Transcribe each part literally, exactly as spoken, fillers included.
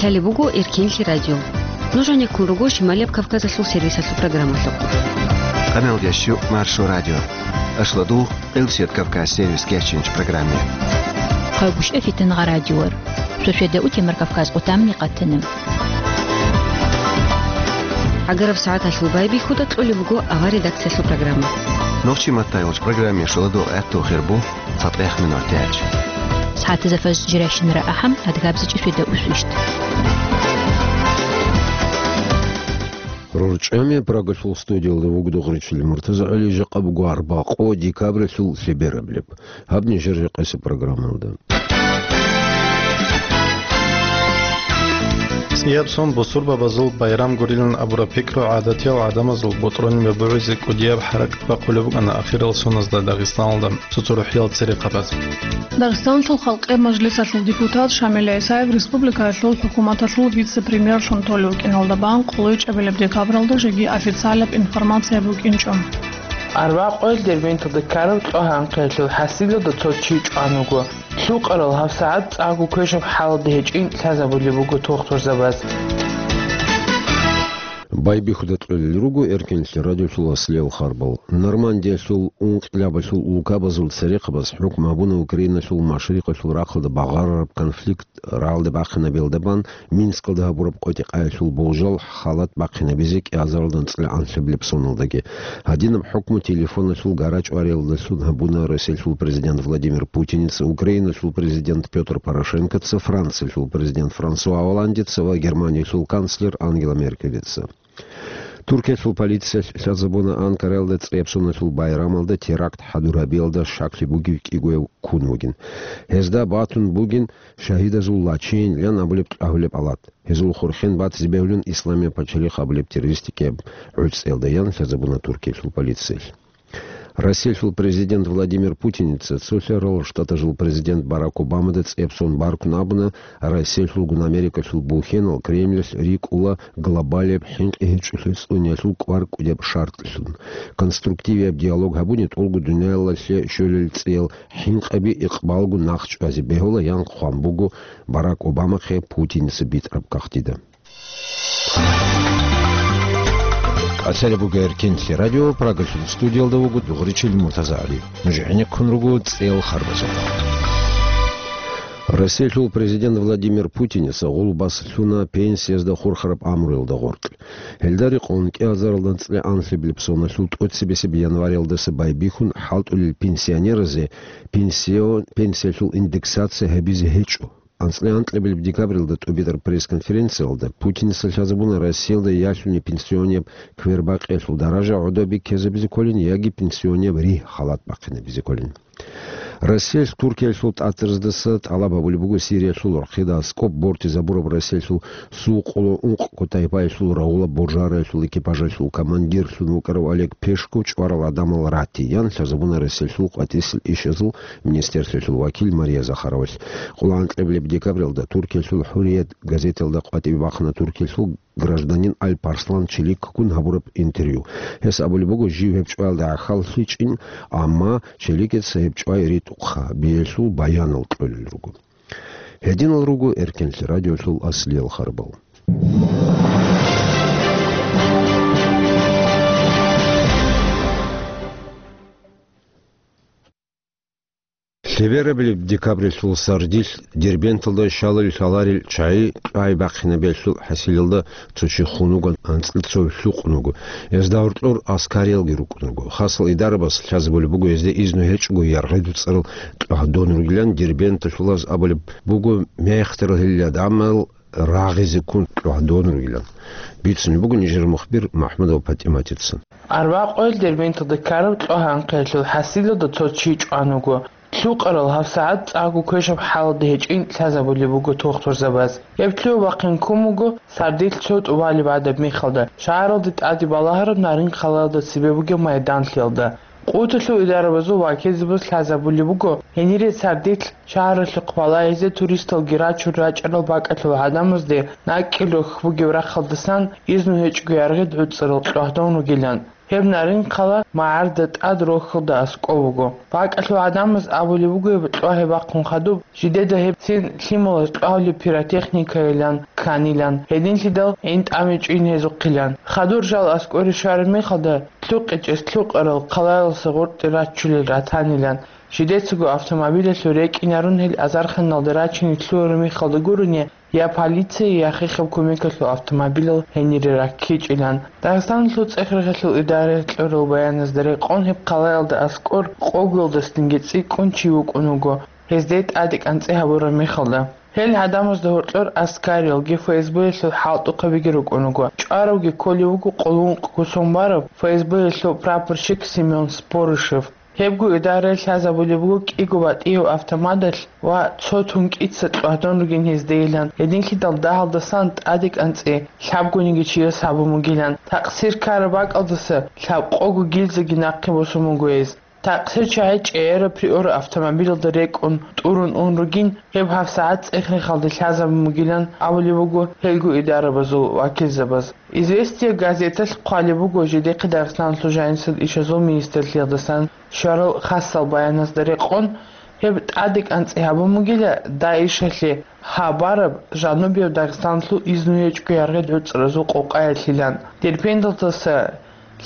Гьале буго Эркенлъи радио. Нуж гьанеккун руго Шималияб Кавказалъул сервисалъул программалъухъ. Къамел ящу Маршо радио. Ашладу Элсет Кавказ сервис кечинч программе. Хъагушев Фитнагъа радиор. Шошведа утемар Кавказ къутамни къатана. Агараб сагӀаталъул байбихьуда кьолеб буго авар редакциялъул программа. Нохчи маттайолч программе шоладо гӀатту хирбу. Фатех минутач. СагӀатазда фажр жиращинара ахӀам, адгабзичӀи шведа усвищт. РорчӀами Прагалъул студиялда вугдугъричил МуртазагӀали жакъа буго арбакъо декабралъул лъебераблеб. Гьаб нижер жакъасеб программалда. ЦӀияб сон бусурбабазул байрам гурилан абураб пикру гӀадатиял гӀадамазул бутӀрулин бубугӀизе кӀудияб хӀаракат бахъулеб букӀана ахирал соназда Дагъистаналда цо-цо рухӀиял церехъабаз. Дагъистаналъул халкъиял мажлисалъул депутат Шамил ГӀисаев республикаялъул хӀукуматалъул вице-премьерлъун толев вукӀиналда бан къулайчӀабилеб декабралда жеги официалаб информация букӀинчӀо. Арбакъоял Дербенталда ккараб кьогьанхъиялъул хӀасилалда цо чи чӀван вуго. Лъукъарал гьабсагӀат цӀакъго квешаб хӀалалда гьечӀин лъазабулеб буго тухтурзабаз. Байбихьуда кьолел руго Эркенлъи радиолъул аслиял харбал. Нормандиялъул ункъилабалъул улкабазул церехъабаз хӀукму гьабуна Украиналъул машрикъалъул рахъалда багъарараб конфликт рагӀалде бахъинабиялда бан Минскалда гьабураб къотӀи-къаялъул болжал халат бахъинабизе кӀиазаралда анцӀила анлъабилеб соналдаги. Гьадинаб хӀукму телефоналъул гара-чӀвариялдалъун гьабуна Россиялъул президент Владимир Путиница, Украиналъул президент Пётр Порошенкоца, Франциялъул президент Франсуа Олландеца ва Германиялъул канцлер Ангела Меркелица. Туркиялъул полициялъ лъазабуна Анкараялда цӀияб соналъул байрамалда теракт хӀадур гьабиялда щаклъи бугев кӀигояв ккун вугин. Гьезда батун бугин шагьидазул лачин ян абулеб кьагьулеб алат. Гьезул хурхен батизе бегьулин Исламияб пачалихъ абулеб террористикияб гӀуцӀиялда, ян лъазабуна Туркиялъул полициялъ. Россиялъул президент Владимир Путиница цолъарал штатазул президент Барак Обамада цӀебсон баркун абуна, Россиялъулгун Америкалъул бухьенал Кремльалъ рикӀкӀула глобалияб хӀинкъи гьечӀолъи цӀуниялъул кӀвар кӀудияб шартӀлъун. Конструктивияб диалог гьабуни тӀолго дуниялалъе щолел цӀиял хӀинкъаби икъбалго нахъ чӀвазе бегьула, ян хъван буго Барак Обамахъе Путиница битӀараб кагътида. Къацари буго Эркенлъи радио, Прагалъул студиялда вуго дугъричил Муртазагьали. Нуж гӀенеккун руго цӀел харбазухъ. Россиялъул президент Владимир Путиница гъулбас лъуна пенсиязда хурхараб амруялда гъоркь. Гьелда рекъон кӀиазаралда анцӀила анлъабилеб соналъул тӀоцебесеб январялдаса байбихьун хӀалтӀулел пенсионеразе пенсио-, пенсиялъул индексация гьабизе гьечӀо. АнцӀила анкьабилеб декабралда тӀубитӀараб пресс-конференциялда Путиница лъазабуна Россиялда ялъуни пенсионияб квербакъиялъул даража гӀодобе ккезабизе кколин яги пенсионияб ригь халат бахъинабизе кколин. Россиялъ Туркиялъул тӀатӀараздаса тӀалаб гьабулеб буго Сириялъул рахъида аскӀоб бортизабураб Россиялъул сукъуло ункъ кутайпаялъул рагъула боржараялъул экипажалъул командирлъун вукӀарав Олег Пешков чӀварал гӀадамал ратиян лъазабуна Россиялъул къватӀисел ишазул министерствоялъул вакил Мария Захаровалъ. Къуланкьеблеб декабралда Туркиялъул «ХӀурият» газеталда къватӀибе бахъана Туркиялъул гражданин Алпарслан Чиликкун гьабураб интервью. Гьес абулеб буго, жив гьеб чӀваялда гӀахьаллъичӀин, амма Чиликица гьеб чӀвай ритӀухъа, биялъул баянал кьолел руго. Гьединал руго Эркенлъи радиолъул аслиял харбал. Лъеберабилеб декабрилъул сардилъ Дербенталда щалал лъаларел чагӀи кьвай бахъинабиялъул хӀасилалда цо чи хун вуган, анцӀил цо лъукъун вуго. Гьезда гьоркьор аскариялги рукӀун руго. Хасал идарабас лъазабулеб буго гьезда изну гьечӀого яргъи дуцӀарал кьогьдон ругилан. Дербенталъулаз абулеб буго, мехтарал гьелил гӀадамал рагъизе ккун кьогьдон ругилан. Бицунеб буго нижер мухбир МахӀмудова ПатӀиматица. Арбакъоял Дербенталда ккараб кьогьанхъиялъул хӀасилалда цо чи чӀван вуго. Лъукъарал гьабсагӀат цӀакъго квешаб хӀалалда гьечӀин лъазабулеб буго тухтурзабаз. Гьеб лъугьа-бахъин ккун буго сардилъ цо тӀубалеб гӀадаб мехалда, шагьаралде тӀаде балагьараб Нарин-Халалда цебе бугеб майданлъиялда. Къуталъул идарабазул вакилзабаз лъазабулеб буго, гьенире сардилъ шагьаралъухъ балагьизе туристалги рачун рачӀарал бакӀалъул гӀадамазде накӀкӀел рохь бугеб рахъалдасан изну гьечӀого яргъи дуцӀарал кьогьдон ругилан. Гьеб Нарин-хъала магӀарда тӀад рохьалда аскӀов вуго. БакӀалъул гӀадамаз абулеб буго гьеб кьвагьи бахъун хадуб, жидеда гьеб цин лъималаз кьвагьулеб пиротехникайилан кканилан, гьединлъидал гӀин тӀаме чӀвин гьезухъилан. Хадур жал аскӀоре щвараб мехалда, лъукъичӀес лъукъарал хъалаялъа гъоркье раччулел ратанилан, жидецаго автомобилалъур рекӀинарун гьел азарханалда рачине лъугьараб мехалда гурони, я полицияй, я хехаб кумекалъул автомобилал гьенире раккичӀилан. Дагъистаналъул ЦӀехрехалъул идараялъ кьурал баяназда рекъон, гьеб хъалаялда аскӀор къогоялдасанги цӀикӀкӀун чи вукӀун вуго, гьезде тӀаде кӀанцӀи гьабураб мехалда. Гьел гӀадамазда гьоркьор аскариялги ФСБ-ялъул хӀалтӀухъабиги рукӀун вуго. ЧӀваравги кколев вуго къулункъго сон бараб ФСБ-ялъул прапорщик Семён Спорышев. Гьебго идараялъ лъазабулеб буго кӀиго батӀияв автоматалъ ва цо тункӀица кьвагьдон ругин гьездейилан, гьединлъидал дагьалдасан тӀаде кӀанцӀи лъабгониги чияс гьабун бугилан. Такъсир ккараб бакӀалдаса лъабкъого гильзаги нахъе босун буго гьез. Такъсир чагӀи чӀегӀераб Приора автомобилалда рекӀун тӀурун ун ругин, гьеб гьабсагӀат ЦӀехрехалде лъазабун бугилан абулеб буго гьелго идарабазул вакилзабаз. «Известия» газеталъ хъвалеб буго, жидехъе Дагъистаналъул жанисел ишазул министрлъиялдасан щварал хасал баяназда рекъон, гьеб тӀаде кӀанцӀи гьабун бугила ДАИШалъе гьабараб жанубияб Дагъистаналъул изну гьечӀго яргъи гӀуцӀразул къокъаялъилан. Дербенталдаса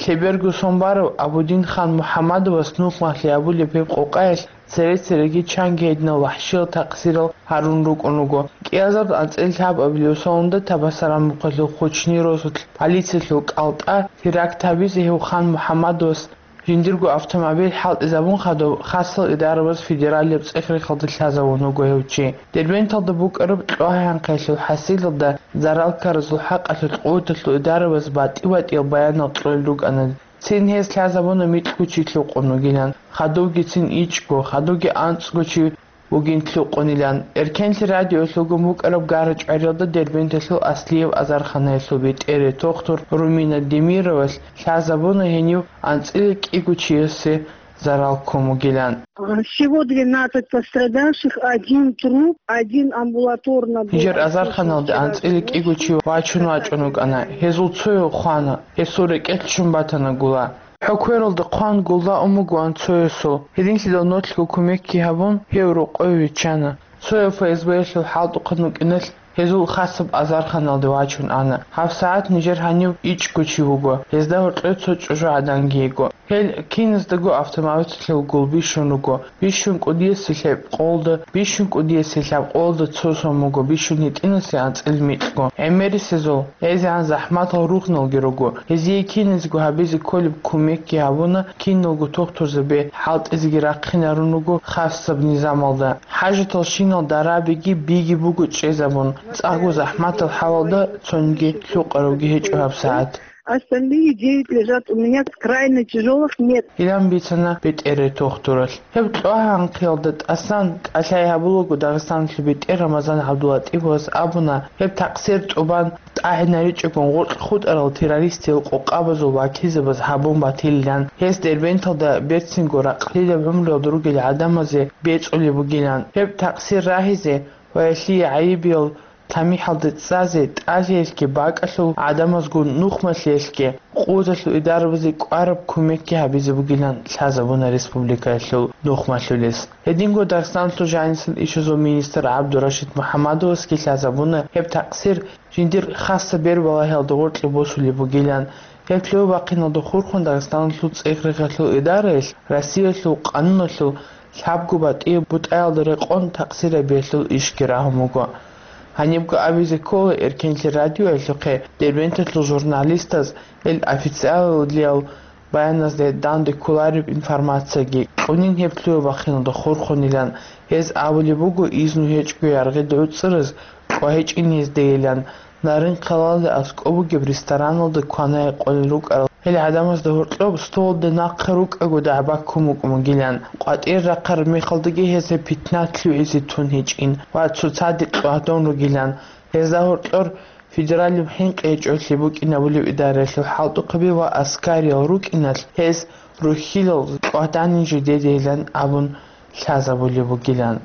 лъеберго сон барав Абудин-хан МухӀаммадовас нухмалъи абулеб гьеб къокъаялъ цере-цереги чанги гьединал вахӀшиял такъсирал гьарун рукӀун руго. КӀиазарда анцӀила лъабабилеб сонда Табасарамухъалъул Хучни росулъ полициялъул кӀалтӀа теракт гьабизе гьев хан МухӀаммадовас жиндирго автомобиль хӀалтӀизабун хадуб, хасал идарабаз федералияб ЦӀехрехалде лъазавун вуго гьев чи. Дербенталда букӀараб кьвагьи-гьанхъиялъул хӀасилалда зарал ккаразул хӀакъалъулъ къуваталъул идарабаз батӀи-батӀиял баянал кьолел рукӀана. Цин гьез лъазабуна микьго чи лъукъун вугилан, хадубгицин ичӀго, хадубги анцӀго чи вугин лъукъунилан. Эркенлъи радиоялъулгун букӀараб гара-чӀвариялда Дербенталъул Аслияб азарханаялъул бетӀер, тухтур Румина Демировалъ лъазабуна гьенив анцӀила кӀиго чиясе зарал ккун вугилан. Всего двенадцать пострадавших, один труп, один амбулаторно был. Нижер азарханалде анцӀила кӀиго чи вачун вачӀун вукӀана. Гьезул цояв хвана, гьесул рекӀелъ ччун батана гула. ХӀоквералда хъван гулда ун бугоан цоясул. Гьединлъидал нолъго кумекги гьабун, гьев рокъове виччана. Цояв ФСБ-ялъул хӀалтӀухъан вукӀиналъ, гьезул хасаб азарханалде вачун ана. ГьабсагӀат нижер гьанив ичӀго чи вуго, гьезда гьоркьор цо чӀужугӀаданги йиго. Гьел киназдаго автоматалъул гул бищун руго. Бищун кӀудиясе лъебкъолда, бищун кӀудиясе лъабкъолда цо сон буго, бищун гьитӀинасе анцӀила микьго. ГӀемерисезул гӀезегӀан захӀматал ругьналги руго. Гьезие киназего гьабизе кколеб кумекги гьабуна, киналго тухтурзаби хӀалтӀизеги рахъинарун руго хасаб низамалда. ХӀажатал щинал дарабиги биги буго чӀезабун, цӀакъго захӀматал хӀалалда цониги лъукъаравги гьечӀо гьабсагӀат. Остальные девять лежат у меня в крайне тяжелых, нет. Илан бицана бетӀерай тухтуралъ. Гьеб кьвагьанхъиялда тӀасан кӀалъай гьабулаго Дагъистаналъул бетӀер Рамазан ГӀабдулатӀиповас абуна, гьеб такъсир тӀубан тӀагӀинаричӀого гъоркь хутӀарал террористиял къокъабазул вакилзабаз гьабун батилилан, гьес Дербенталда берцинго ракълилаб гӀумруялда ругел гӀадамазе бецӀулеб бугилан. Гьеб такъсир рагьизе ва гьелъие гӀайибиял тамихӀалде цӀазе тӀалъиялъги бакӀалъул гӀадамазгун нухмалъиялъги къуваталъул идарабазе кӀвараб кумекги гьабизе бугилан лъазабуна республикаялъул нухмалъулес. Гьединго Дагъистаналъул жанисел ишазул министр ГӀабдурашид МухӀаммадовасги лъазабуна гьеб такъсир жиндир хасаб бер балагьиялда гъоркье босулеб бугилан. Гьеб лъугьа-бахъиналда хурхун Дагъистаналъул ЦӀехрехалъул идараялъ Россиялъул къануналъул лъабго батӀияб бутӀаялда рекъон такъсирабиялъул ишги рагьун буго. Гьанибго абизе ккола Эркенлъи радиоялъухъе Дербенталъул журналистаз гьел официаллъиял баяназде данде кколареб информацияги кьунин гьеб лъугьа-бахъиналда хурхунилан. Гьез абулеб буго изну гьечӀго яргъида гӀуцӀраз кӀвагьичӀин гьездейилан, Нарин-хъалалда аскӀоб бугеб рестораналда кванай къолел рукӀарал гьел гӀадамазда гьоркьоб столалда нахъа рукӀаго дагӀба ккун букӀун бугилан, къватӀир рахъараб мехалдаги гьезда питна лъугӀизе тун гьечӀин ва цоцаде кьвагьдон ругилан. Гьезда гьоркьор федералияб хӀинкъи гьечӀолъи букӀинабулеб идараялъул хӀалтӀухъаби ва аскариял рукӀиналъ гьез рухьилал кьвагьданин жидедейилан абун лъазабулеб бугилан.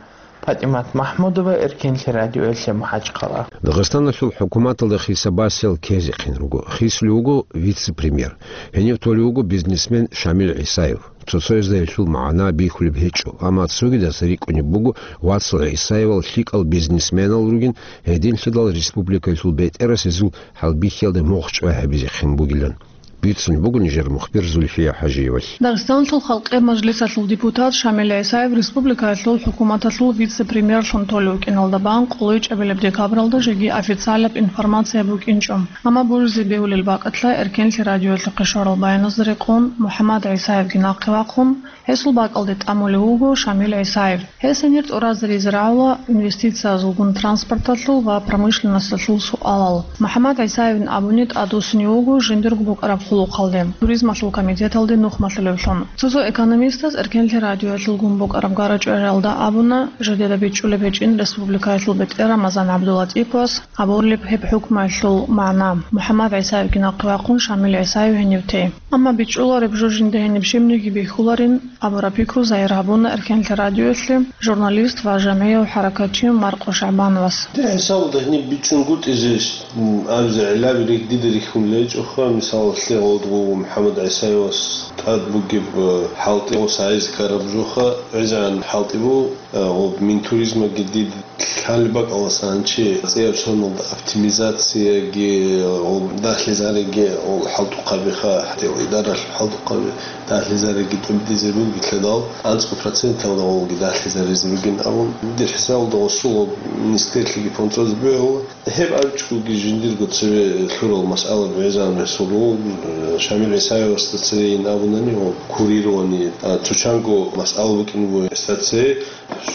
ПатӀимат МахӀмудова, Эркенлъи радиоялъе МахӀачхъала. Дагъистаналъул хӀукуматалда хисабасел ккезехъин руго. Хисулев вуго вице-премьер. Гьенив толев вуго бизнесмен Шамил ГӀисаев. Цо-цояздайилъул магӀна бихьулеб гьечӀо, амма цогидаз рикӀкӀунеб буго вацал ГӀисаевал лъикӀал бизнесменал ругин, гьединлъидал республикаялъул бетӀерасезул хӀалбихьиялда мугъ чӀвай гьабизехъин бугилан. Бицунеб буго нижер мухбир Зульфия ХӀажиевалъ. Дагъистаналъул Халкъи Мажлисалъул депутат Шамил ГӀисаев республикаялъул хӀукуматалъул вице-премьерлъун толев вукӀиналда бан къулайчӀабилеб декабралда жеги официалаб информация букӀинчӀо. Амма божизе бегьулел бакӀалъа Эркенлъи радиоялъухъе щварал баяназда рекъон МухӀаммад ГӀисаевги нахъе вахъун, гьесул бакӀалде тӀамулев вуго Шамил ГӀисаев. Гьес гьенир тӀуразаризе рагӀула инвестициязулгун транспорталъул ва промышленносталъул суалал. МухӀаммад ГӀисаевин абуни тӀадвуссунев вуго жиндирго букӀараб хъулухъалде, туризмалъул комитеталде нухмалъулевлъун. Цо-цо экономистаз Эркенлъи радиоялъулгун букӀараб гарачӀвариялда абуна, жидеда бичӀчӀулеб гьечӀин республикаялъул бетӀер Рамазан ГӀабдулатӀиповас гьабулеб гьеб хӀукмуялъул магӀна, МухӀаммад ГӀисаевги нахъе вахъун Шамил ГӀисаев гьенив те. Амма бичӀчӀулареб жо жинда гьениб щибниги бихьуларин абураб пикру загьир гьабуна Эркенлъи радиоялъе журналист ва жамгӀияв хӀаракатчи Маркъо ШагӀбановас. Дир хӀисабалда гьениб бичӀчӀунгутӀизе, м, абизе гӀиллаби рихь-, дида рихьун гьечӀоха, мисалалъе, гъодгъу МухӀаммад ГӀисаевас тӀад бугеб, э, хӀалтӀи гъос гӀайзе ккараб жоха, гӀезегӀан хӀалтӀи бу, э, гъоб Минтуризмаги дид лъалеб бакӀаласан чи цӀияб соналда оптимизацияги, гъоб дагьлъизариги, гъол хӀалтӀухъабиха, гьатӀил идаралъ хӀалтӀухъаби, дагьлъизариги тӀубдизе бугелъадал, анцӀго проценталда гъолги дагьлъизаризе бугин абун, дир хӀисабалда гъосул гъоб министрлъиги фондзазе бегьула. Гьеб абичӀоги жиндирго цеве лъурал масъала бегӀизан гьесул руго, Шамил ГӀисаевасда цевейин абунани ва курирование, а, цо чанго масъала букӀин буго гьесда цеве.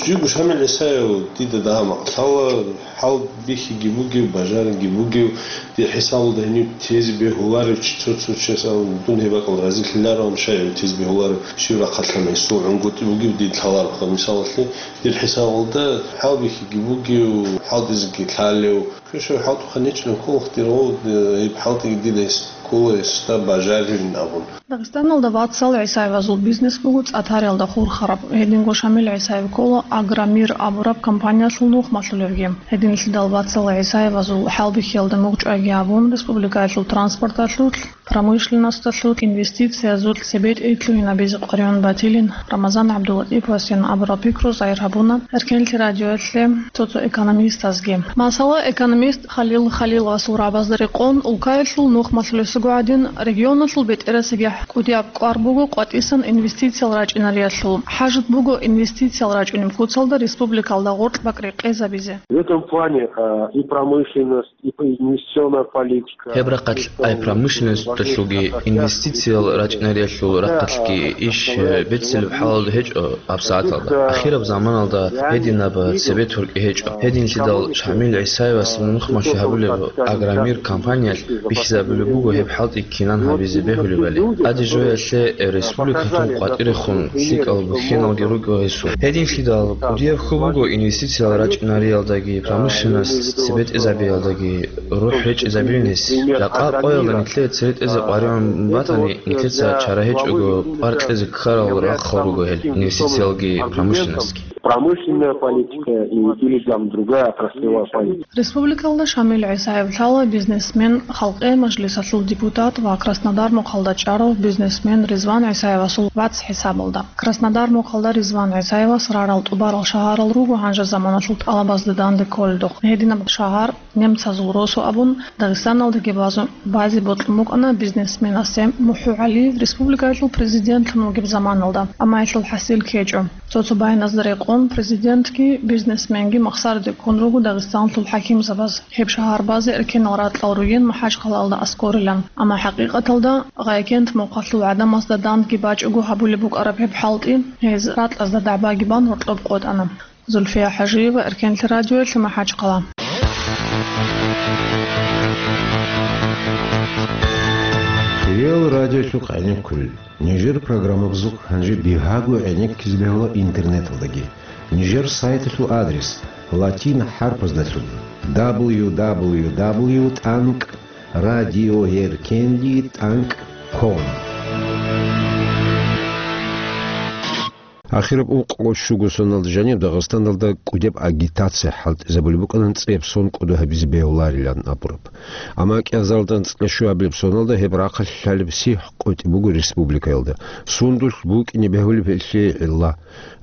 Жиго Шамил ГӀисаев дида дагьа-макъ лъала, хӀалбихьиги бугев, бажариги бугев, дир хӀисабалда гьенив тезе бегьуларев чи цо-цо чияс абун, дун гьеб бакӀал разилъилароан, щай гьев тезе бегьуларев, щив рахъалъан гьесул гӀунгутӀи бугев дид лъалароха, мисалалъе. Дир хӀисабалда хӀалбихьиги бугев, хӀалтӀизеги лъалев, квешав хӀалтӀухъан гьечӀилан кколаха дир гъов, гьеб хӀалтӀиги дида гьес ккола, гьесда бажарилин абун. Дагъистаналда вацал ГӀисаевазул бизнес буго цӀатариялда хурхараб. Гьединго Шамил ГӀисаев ккола «Агромир» абураб компаниялъул нухмалъулевги. Гьединлъидал вацал ГӀисаевазул хӀалбихьиялда мугъ чӀвайги абун, республикаялъул транспорталъулъ, промышленносталъул, инвестициязулъ, цебетӀей лъугьинабизе къваригӀун батилин Рамазан ГӀабдулатӀиповасин абураб пикру загьир гьабуна Эркенлъи радиоялъе цо-цо экономистазги. Масала, экономист Халил Халиловасул рагӀабазда рекъон, улкаялъул нухмалъулесаго гӀадин, регионалъул бетӀерасеб кӀудияб кӀвар буго къватӀисан инвестициял рачӀинариялъул. ХӀажат буго инвестициял рачӀунеб куцалда республикалда гъоркь бакӀ рекъезабизе. В этом плане, э, и промышленность, и инвестиционная политика. Гьеб рахъалъ ай промышленносталъулги инвестициял рачӀинариялъул рахъалъги иш, э, беццилеб хӀалалда гьечӀо гьабсагӀаталда. Ахираб заманалда гьединаб цебетуркӀи гьечӀо. Гьединлъидал Шамил ГӀисаевас нухмалъи гьабулеб «Агромир» компаниялъ бихьизабулеб буго гьеб хӀалтӀи кинан гьабизе бегьулебали. Аде жоялъе республикалъул къватӀирехун лъикӀал бухьеналги рукӀо гьесул. Гьединлъидал кӀудияб хьул буго инвестициял рачӀинариялдаги, промышленность цебетӀезабиялдаги рухӀ речӀезабилин гьес. Жакъа къоялда нилъее церетӀезе къваригӀун батани, нилъеца чара гьечӀого, пӀар кьезе ккарал рахъал руго гьел инвестициялги промышленностьги. Промышленная политика и, или там другая отраслевая политика. Республикалда Шамил ГӀисаев лъала бизнесмен, Халкъи Мажлисалъул депутат ва Краснодар мухъалда чӀарав бизнесмен Ризван ГӀисаевасул вац хӀисабалда. Краснодар мухъалда Ризван ГӀисаевас рарал тӀубарал шагьарал руго гьанже заманалъул тӀалабазда данде кколелдухъ. Гьединаб шагьар немцазул росу абун, Дагъистаналдаги базу-, базе бокьун букӀана бизнесменасе. МухӀгьугӀалиев республикаялъул президентлъун вугеб заманалда, амма гьелъул хӀасил ккечӀо. Цо-цо баяназда рекъон, президентги, бизнесменги махсараде ккун руго Дагъистаналъул хӀакимзабаз. Гьеб шагьар базе эркенал ракьал ругин МахӀачхъалаялда аскӀорилан. Амма хӀакъикъаталда Гъайкент мухъалъул гӀадамазда дандги бачӀого гьабулеб букӀараб гьеб хӀалтӀи, гьез ракьазда дагӀбаги бан гьоркьоб къотӀана. Зульфия ХӀажиева, Эркенлъи радиоялъе, МахӀачхъала. Реал радиолъухъ гӀенеккулел. Нижер программабазухъ гьанже бигьаго гӀенеккизе бегьула интернеталдаги. Нижер сайталъул адрес латин хӀарпаздалъун: дабл ю дабл ю дабл ю тӀанкӀ радиоэркенлъи тӀанкӀ ком. Ахираб ункъго щуго соналда жаниб Дагъистаналда кӀудияб агитация хӀалтӀизабулеб букӀана цӀияб сон кӀодо гьабизе бегьуларилан абураб. Амма кӀиазаралда анцӀила щуабилеб соналда гьеб рахъалъ лъалеб сихӀ къотӀи буго республикаялда. Сундулъ букӀине бегьулеб гьелъие гӀилла?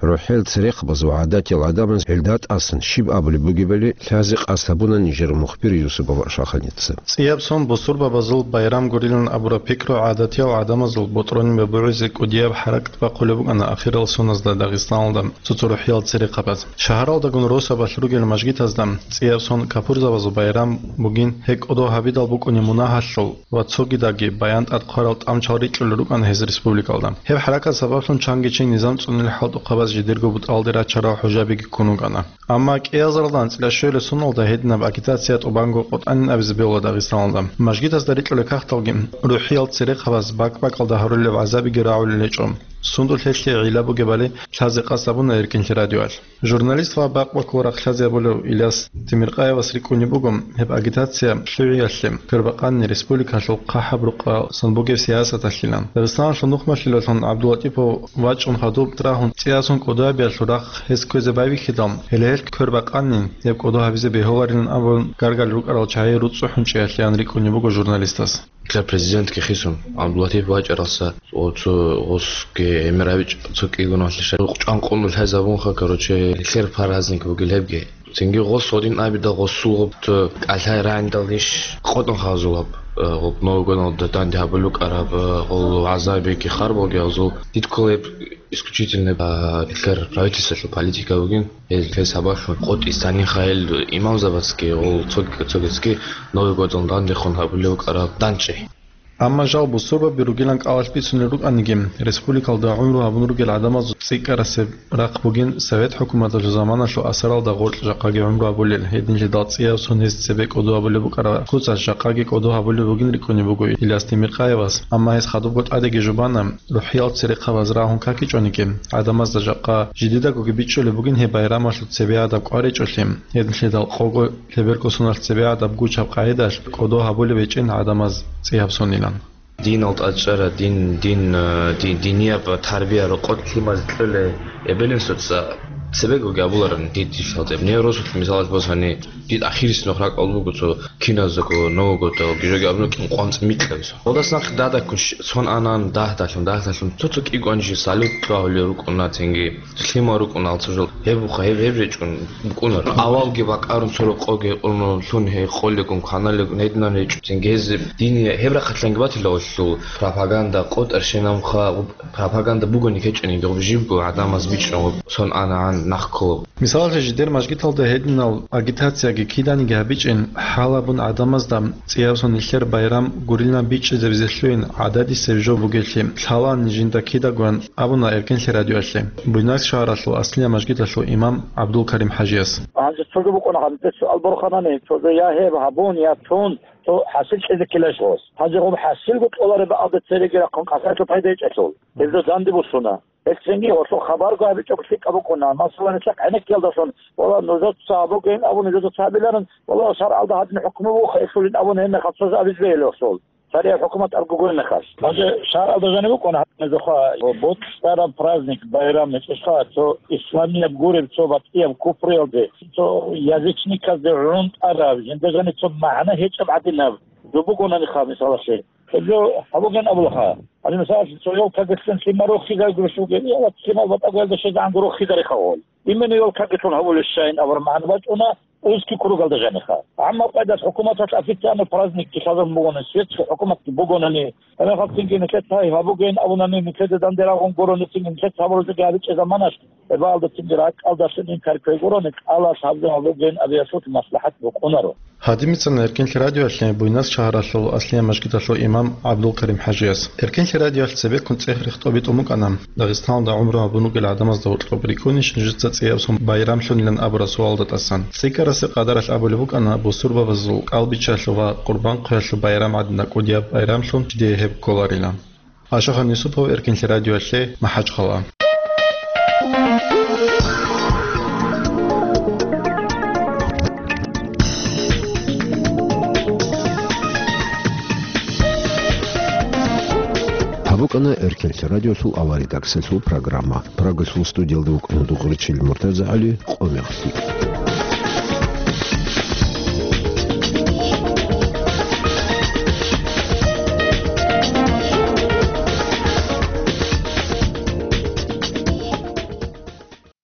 РухӀиял церехъабаз ва гӀадатиял гӀадамаз гьелда тӀасан щиб абулеб бугебали лъазе къасд гьабуна нижер мухбир Юсупов Ашаханица. ЦӀияб сон бусурбабазул байрам гурилан абураб пикру гӀадатиял гӀадамазул бутӀрулин бабугӀизе кӀудияб хӀаракат бахъулеб букӀана ахирал соназда Дагъистаналда цо-цо рухӀиял церехъабаз. Шагьаралдагун росабалъ ругел мажгитазда цӀияб сон капурзабазул байрам бугин, гьеб кӀодо гьабидал букӀунеб мунагьалъул ва цогидаги баян тӀад хъварал тӀамчал рикьулел рукӀана гьез республикалда. Гьеб хӀаракат сабаблъун чанги чи низам цӀунел хӀалтӀухъабаз жидерго бутӀралде рачарал хӀужабиги ккун ругана. Амма кӀиазаралда анцӀила щуабилеб соналда гьединаб агитация тӀубанго къотӀанин абизе бегьула Дагъистаналда. Мажгитазда рикьулел кагъталги рухӀиял церехъабаз бакӀ-бакӀалда гьарулел гӀазабиги рагӀулел гьечӀо. Сундулъ гьелъие гӀилла бугебали лъазе къасд гьабуна Эркинлъи радиоялъ. Журналист ва бакъ-бакъул рахъ лъазе гьабулев Иляс Темиркъаевас рикӀкӀунеб буго гьеб агитация лъугӀиялъе квербакъанни республикалъул хъахӀаб рукъасан бугеб сиясаталъилан. Дагъистаналъул нухмалъилалъун ГӀабдуллатӀипов вачӀун хадуб рагьун цӀияб сон кӀодо гьабиялъул рахъ гьес кквезе байбихьидал, гьеле гьел квербакъанни гьеб кӀодо гьабизе бегьуларилан абун гаргал рукӀарал чагӀи руцӀцӀухӀун чӀеялъеян рикӀкӀунеб буго журналистас. Нилъер президентги хисун, ГӀабдуллатипов вачӀаралса, цо гъосги гӀемер гьабичӀ, цо кӀигоналъе рукъ чӀван къуллъизабунха, короче, нилъер праздник бугел гьебги. Цинги гъос гьодин абидал гъосул гъоб цо кӀалъай рагӀиндал иш къотӀун хазулаб, э, гъоб Новый годалда данде гьабулукараб, э, гъол гӀазабиги харбалги гьазул. Дидккола гьеб исключительно, а, нилъер правительстволъул политика бугин. Гьел гьес гьабалъун къотӀи станиха гьел имамзабацги, гъол цог-, цогецги Новый годалда дандехун гьабулев вукӀараб данчӀи. Амма жал бусурбаби ругилан кӀалалъ бицунел рукӀаниги, республикалда гӀумру гьабун ругел гӀадамазул цӀикӀкӀарасеб рахъ бугин совет хӀукуматалъул заманалъул асаралда гъоркь жакъаги гӀумру гьабулел, гьединлъидал цӀияб сон гьез цебе кӀодо гьабулеб букӀараб куцалъ жакъаги кӀодо гьабулеб бугин рикӀкӀунеб буго Иляс Темиркъаевас, амма гьес хадубго тӀадеги жубана, рухӀиял церехъабаз рагьун какичӀониги, гӀадамазда жакъа жидедагоги бичӀчӀулеб бугин гьеб байрамалъул цебе гьадаб кӀваричӀолъи, гьединлъидал къого лъеберго соналъ цебе гьадаб гучаб къагӀидалъ кӀодо гьабулеб гьечӀин гӀадамаз цӀияб сонилан. Динал тӀад чӀара, дин, дин, э, ди-, динияб тарбия рокъоб лъимазе кьолей эбел-инсуца цебегоги абуларани дид дилъал тӀеб. Неврозулъ мисалалъ босани, дид ахирис нух ракӀал буго цо киназдаго, нового-дагоги жоги абуна кӀин къванцӀ микьабиз. Гьалдас нахъ дадаккун щ-, сон анан дагьдалъун, дагьдалъун цо-цо кӀигоанчи салют лъугьулел рукӀуна цинги. Лъимал рукӀуна алцужал. Гьеб буха, гьеб, гьеб речӀун букӀунар. Авалги бакъарун цо рокъоги, лъун гьей къолигун, кваналигун, гьединан речӀун. Цинги гьез дини гьеб рахъалъанги батила гъолъул пропаганда, къотӀар щенамха, пропаганда бугони кечӀониги, гъоб жибго гӀадамаз бичӀчӀун, гъоб сон анагӀан нахъ кколаб. Мисалалъе, жидер мажгиталда гьединал агитацияги киданиги гьабичӀин, хӀалабун гӀадамазда цӀияб сон нилъер байрам гурилан бичӀчӀизабизе лъугьин гӀададисеб жо бугелъи лъалаан жинда кидагоян абуна Эркинлъи радиоялъе Буйнакск шагьаралъул Аслия мажгиталъул имам ГӀабдулкарим ХӀажияс. Гьанже цоги букӀуна гьанже суал борханани, цоги я гьеб гьабун, я тун, цо хӀасил кьезе ккелалъ гъос. Гьанже гъоб хӀасилго кьолареб бакӀалда цереги рахъун къасарлъи пайда гьечӀелъул, гьеб жо данде босуна. Гьелцинги гьелъул хабарго гьабичӀого лъикӀаб букӀуна. Масала, нилъехъ гӀенеккиялдалъун, вала, нужеца гьабугейин абун, нужеца гьабиларин, вала, шаргӀалда гьадин хӀукму буха, эшулин абун гьеб мехалъ цоги абизе бегьиларо гъосул. Царияб хӀукумат абго гуро мехалъ. Гьанже шаргӀалда жаниб букӀуна гьадиназухъа, боцӀцӀараб праздник, байрам гьечӀищха, цо исламияб гуреб, цо батӀияб купруялде, цо язычниказде гӀунтӀараб, жинда жаниб цо магӀна гьечӀеб гӀадинаб жо бугонаниха, мисалалъе. Гьеб жо гьабугин абулаха. Гьанже, мисалалъе, цо ёлкаги лъун лъимал рохизаргурищ бугеб, я ва лъимал батӀаго гьелда щвезегӀанго рохизариха гъол. Именно ёлкаги лъун гьабулеб щайин абураб магӀна бачӀуна узкий кругалда жаниха. Амма къайдас хӀукуматалъ официально праздникги лъазабун бугони, светский хӀукуматги бугонани, гьебмехалцинги нилъеца гьай гьабугейин абунани, нилъеда данде рагъун гурони, цинги нилъеца гьабуралдаги гьабичӀеб заманалъ, гьебаалдацинги ракӀалдалъун инкар кквей гурони, кӀалалъ гьабзе гьабугейин абиялъулъ маслахӀат букӀунаро. Гьадинаб бицана Эркинлъи радиоялъе Буйнакск шагьаралъул Аслия мажгиталъул имам ГӀабдулкарим ХӀажияс. Эркинлъи радиоялъ цебеккун цӀех рехтӀоб битӀун букӀана Дагъистаналда гӀумру гьабун ругел гӀадамазда гьоркьоб рикӀкӀунищ нужеца цӀияб сон байрамлъунилан абураб суалда тӀасан. ЦӀикӀкӀарасеб къадаралъ абулеб букӀана бусурбабазул кӀалбиччалъул ва Къурбан хъвеялъул байрам гӀадин кӀудияб байрамлъун жидее гьеб кколарилан. Ашахан Юсупов, Эркинлъи радиоялъе, МахӀачхъала. Гьаб букӀа Ана Эркенлъи радиолъул авария редакциялъул программа. Прагалъул студиялда вукӀана дугъричил МуртазагӀали, къо-мекълъи.